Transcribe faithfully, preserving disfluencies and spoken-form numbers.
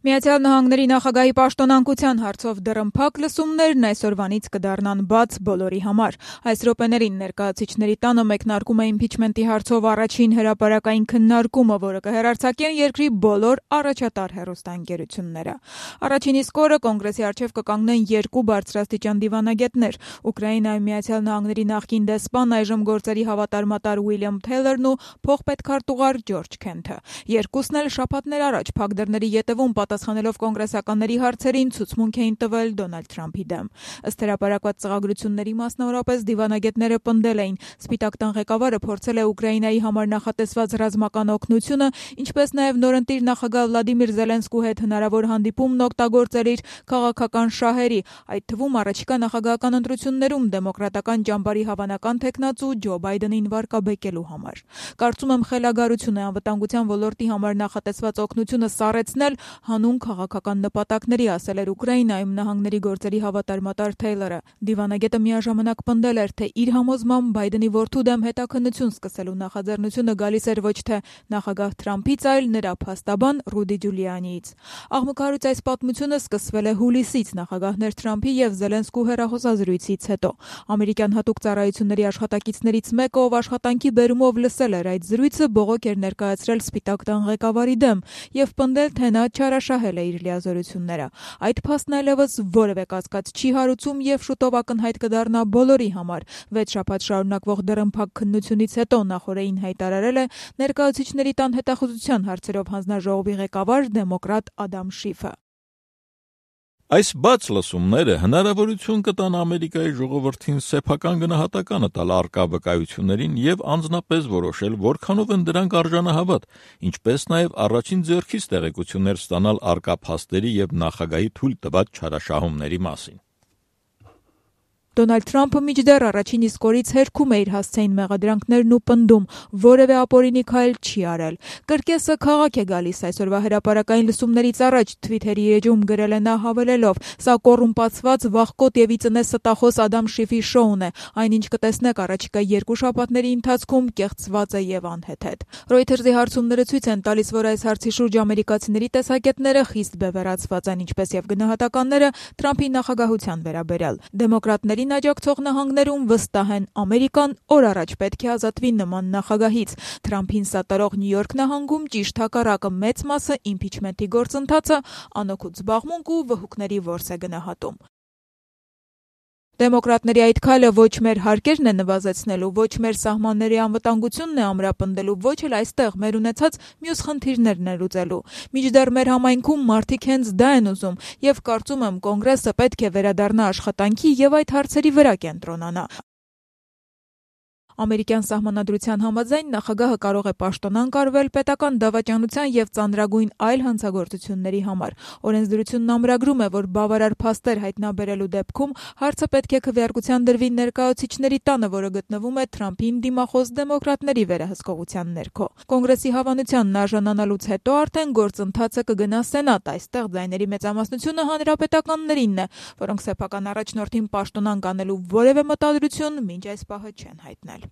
Միացյալ Նահանգների նախագահի պաշտոնանկության հարցով դռնփակ լսումներն այսօրվանից կդառնան բաց բոլորի համար։ Այս րոպեներին ներկայացուցիչների տանը մեկնարկում է իմպիչմենտի հարցով առաջին հրապարակային քննարկումը, որը կհեռարձակեն երկրի բոլոր առաջատար հեռուստաընկերությունները։ Առաջին իսկ օրը կոնգրեսի առջև կկանգնեն երկու բարձրաստիճան դիվանագետներ՝ Ուկրաինայում Միացյալ Նահանգների նախկին դեսպան, այժմ գործերի հավատարմատար Ուիլյամ Թեյլերն ու փոխպետքարտուղար Ջորջ Քենթը։ Երկուսն էլ շաբաթներ առաջ փակ դռների ետևում պատասխանելով կոնգրեսականների հարցերին ցուցմունք էին տվել Դոնալդ Թրամփի դեմ։ Ըստ հրապարակված ծրագրությունների մասնավորապես դիվանագետները պնդել էին, Սպիտակ տան ղեկավարը փորձել է Ուկրաինայի համար նախատեսված ռազմական օգնությունը, ինչպես նաև նորընտիր նախագահ Վլադիմիր Զելենսկու հետ հնարավոր հանդիպումն օգտագործել իր քաղաքական շահերի, այդ թվում առաջիկա նախագահական ընտրություններում դեմոկրատական ճամբարի հավանական թեկնածու Ջո Բայդենին վարկաբեկելու համար։ Կարծում եմ խելագարություն է անվտանգության ոլորտի համար նախատեսված օգնությունը սառեցնել հանուն քաղաքական նպատակների, ասել էր Ուկրաինայում նահանգների գործերի հավատարմատար Թեյլերը։ Դիվանագետը միաժամանակ պնդել էր, թե իր համոզմամբ Բայդենի որդու դեմ հետաքննություն սկսելու նախաձեռնությունը գալիս էր ոչ թե նախագահ Թրամփից, այլ նրա փաստաբան Ռուդի Ջուլիանիից։ Աղմկահարույց այս պատմությունը սկսվել է հուլիսից նախագահներ Թրամփի եւ Զելենսկու հեռախոսազրույցից հետո։ Ամերիկյան հատուկ ծառայությունների աշխատակիցներից մեկը, ով աշխատանքի բերումով լսել էր այդ զրույցը, բողոք էր ներկայացրել Սպիտակ տան ղեկավարի դեմ եւ պնդել, թե նա չարաշահել է իր լիազորությունները։ Այդ փաստն այլևս որևէ կասկած չի հարուցում եւ շուտով ակնհայտ կդառնա բոլորի համար։ Վեց շաբաթ շարունակվող դռնփակ քննությունից հետո նախորդին հայտարարել է ներկայացուցիչների տան հետախուզության հարցերով հանձնաժողովի ղեկավար դեմոկրատ Ադամ Շիֆը։ Այս բաց լսումները հնարավորություն կտան Ամերիկայի ժողովրդին սեփական գնահատականը տալ առկա վկայություններին եւ անձնապես որոշել, որքանով են դրանք արժանահավատ, ինչպես նաեւ առաջին ձեռքից տեղեկություններ ստանալ առկա փաստերի եւ նախագահի թույլ տված չարաշահումների մասին։ Դոնալդ Թրամփը մինչդեռ առաջին իսկ օրից հերքում է իր հասցեին մեղադրանքներն ու պնդում, որևէ ապօրինի քայլ չի արել։ Կրկեսը քաղաք է գալիս այսօրվա հրապարակային լսումներից առաջ Թվիթերի էջում գրել է նա հավելելով. «Սա կոռումպացված, վախկոտ եւ ի ծնե ստախոս Ադամ Շիֆի շոուն է, այնինչ կտեսնեք առաջիկա երկու շաբաթների ընթացքում կեղծված է եւ անհեթեթ»։ Reuters-ի հարցումները ցույց են տալիս, որ այս հարցի շուրջ ամերիկացիների տեսակետները խիստ բևեռացված են, ինչպես եւ գնահատականները Թրամփի նախագահության վերաբերյալ։ Դեմոկրատների աջակցող նահանգներում վստահ են Ամերիկան օր առաջ պետք է ազատվի նման նախագահից։ Թրամփին սատարող Նյու Յորք նահանգում ճիշտ հակառակը մեծ մասը իմպիչմենտի գործընթացը անօգուտ զբաղմունք ու վհուկների որս է գնահատում։ Դեմոկրատների այդ քայլը ոչ մեր հարկերն է նվազեցնելու, ոչ մեր սահմանների անվտանգությունն է ամրապնդելու, ոչ էլ այստեղ մեր ունեցած մյուս խնդիրներն է լուծելու։ Մինչդեռ մեր համայնքում մարդիկ հենց դա են ուզում եւ կարծում եմ կոնգրեսը պետք է վերադառնա աշխատանքի եւ այդ հարցերի վրա կենտրոնանա։ Ամերիկյան սահմանադրության համաձայն նախագահը կարող է պաշտոնանկ արվել պետական դավաճանության եւ ծանրագույն այլ հանցագործությունների համար։ Օրենսդրությունն ամրագրում է, որ բավարար փաստեր հայտնաբերելու դեպքում հարցը պետք է քվեարկության դրվի ներկայացուցիչների տանը, որը գտնվում է Թրամփին դիմախոս դեմոկրատների վերահսկողության ներքո։ Կոնգրեսի հավանությանն արժանանալուց հետո արդեն գործընթացը կգնա Սենատ, այստեղ ձայների մեծամասնությունը հանրապետականներինն է, որոնք սեփական առաջնորդին պաշտոնանկ անելու որևէ մտադրություն մինչ այս պահը չեն հայտնել։